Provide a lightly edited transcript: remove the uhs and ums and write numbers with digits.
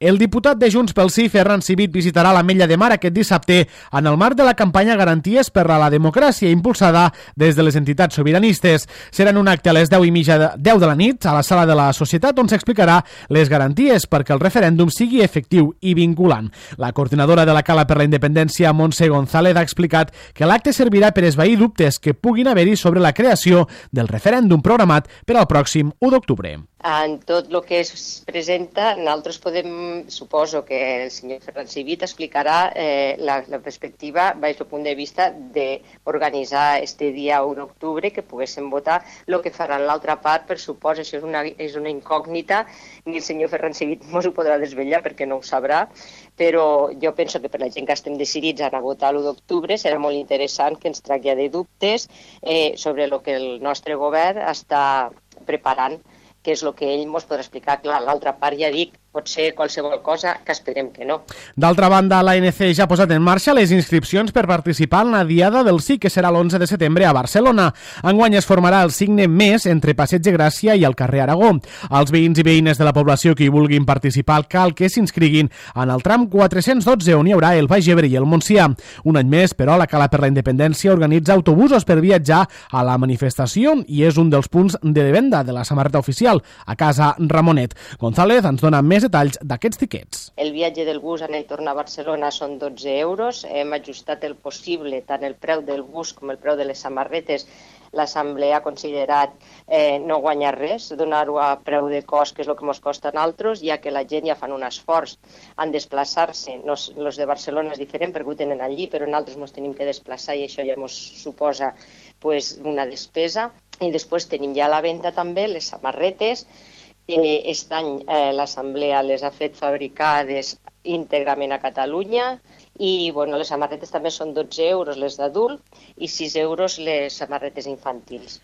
El diputat de Junts pel Sí, Ferran Civit, visitarà l'Ametlla de Mar aquest dissabte en el marc de la campanya Garanties per a la Democràcia, impulsada des de les entitats sobiranistes. Serà en un acte a les 10:30 de la nit a la Sala de la Societat, on s'explicarà les garanties perquè el referèndum sigui efectiu i vinculant. La coordinadora de la Cala per la Independència, Montse González, ha explicat que l'acte servirà per esvair dubtes que puguin haver-hi sobre la creació del referèndum programat per al pròxim 1 d'octubre. En tot el que es presenta, nosaltres suposo que el senyor Ferran Civit explicarà la perspectiva des del punt de vista d'organitzar este dia 1 d'octubre, que poguéssim votar el que faran l'altra part. Per suposo, això és una incògnita, ni el senyor Ferran Civit no s'ho podrà desvetllar perquè no ho sabrà, però jo penso que per la gent que estem decidits a votar l'1 d'octubre serà molt interessant que ens traglladi dubtes sobre el que el nostre govern està preparant, que és el que ell ens podrà explicar. Clar, l'altra part ja dic, pot ser qualsevol cosa, que esperem que no. D'altra banda, l'ANC ja ha posat en marxa les inscripcions per participar en la Diada del Sí, que serà l'11 de setembre a Barcelona. Enguany es formarà el signe més entre Passeig de Gràcia i el carrer Aragó. Els veïns i veïnes de la població que hi vulguin participar cal que s'inscriguin en el tram 412, on hi haurà el Baix Ebre i el Montsià. Un any més, però, la Cala per la Independència organitza autobusos per viatjar a la manifestació i és un dels punts de venda de la samarreta oficial a Casa Ramonet. González ens dona més detalls d'aquests tiquets. El viatge del bus anar i tornar a Barcelona són 12 euros. Hem ajustat el possible, tant el preu del bus com el preu de les samarretes. L'Assemblea ha considerat no guanyar res, donar-ho a preu de cost, que és el que ens costa a nosaltres, ja que la gent ja fan un esforç en desplaçar-se. Els de Barcelona és diferent perquè ho tenen allí, però nosaltres ens tenim que desplaçar i això ja ens suposa una despesa. I després tenim ja a la venda també les samarretes. Aquest any l'Assemblea les ha fet fabricades íntegrament a Catalunya i les samarretes també són 12 euros les d'adult i 6 euros les samarretes infantils.